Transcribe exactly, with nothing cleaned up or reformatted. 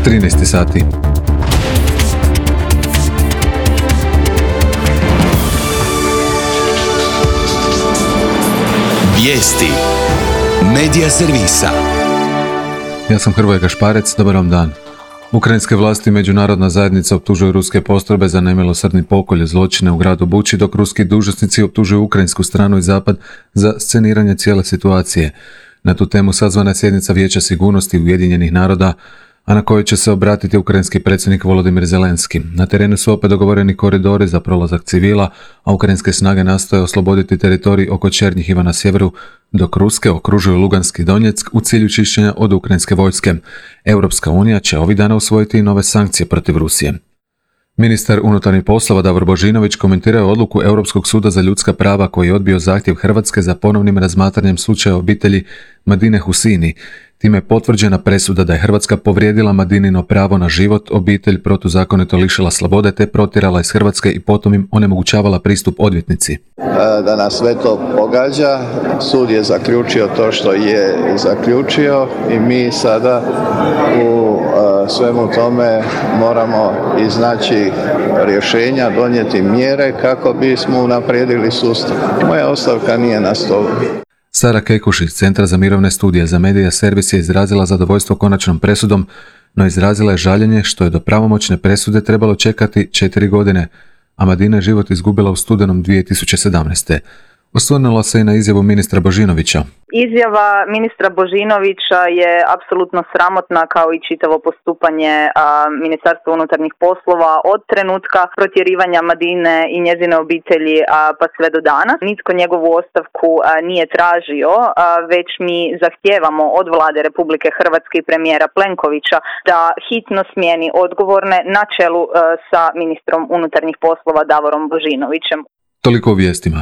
trinaest sati. Vijesti Medija servisa. Ja sam Hrvoje Gašparec, dobar vam dan. Ukrajinske vlasti i međunarodna zajednica optužuju ruske postrojbe za nemilosrdni pokolj i zločine u gradu Buči, dok ruski dužnosnici optužuju ukrajinsku stranu i zapad za sceniranje cijele situacije. Na tu temu sazvana je sjednica Vijeća sigurnosti Ujedinjenih naroda, a na kojoj će se obratiti ukrajinski predsjednik Volodimir Zelenski. Na terenu su opet dogovoreni koridori za prolazak civila, a ukrajinske snage nastoje osloboditi teritorij oko Černjihiva na sjeveru, dok ruske okružuju Lugansk i Donjeck u cilju čišćenja od ukrajinske vojske. Europska unija će ovih dana usvojiti i nove sankcije protiv Rusije. Ministar unutarnjih poslova Davor Božinović komentirao je odluku Europskog suda za ljudska prava koji je odbio zahtjev Hrvatske za ponovnim razmatranjem slučaja obitelji Madine Husini. Time je potvrđena presuda da je Hrvatska povrijedila Madinino pravo na život, obitelj protuzakonito lišila slobode te protjerala iz Hrvatske i potom im onemogućavala pristup odvjetnici. Da nas sve to pogađa, sud je zaključio to što je zaključio i mi sada u svemu tome moramo iznaći rješenja, donijeti mjere kako bismo unaprijedili sustav. Moja ostavka nije na stolu. Sara Kekuš iz Centra za mirovne studije za Medija servis je izrazila zadovoljstvo konačnom presudom, no izrazila je žaljenje što je do pravomoćne presude trebalo čekati četiri godine, a Madina je život izgubila u studenom dvije tisuće sedamnaeste. Osvrnula se i na izjavu ministra Božinovića. Izjava ministra Božinovića je apsolutno sramotna kao i čitavo postupanje a, Ministarstva unutarnjih poslova od trenutka protjerivanja Madine i njezine obitelji a, pa sve do danas. Nitko njegovu ostavku a, nije tražio, a, već mi zahtijevamo od vlade Republike Hrvatske i premijera Plenkovića da hitno smijeni odgovorne na čelu a, sa ministrom unutarnjih poslova Davorom Božinovićem. Toliko o vijestima.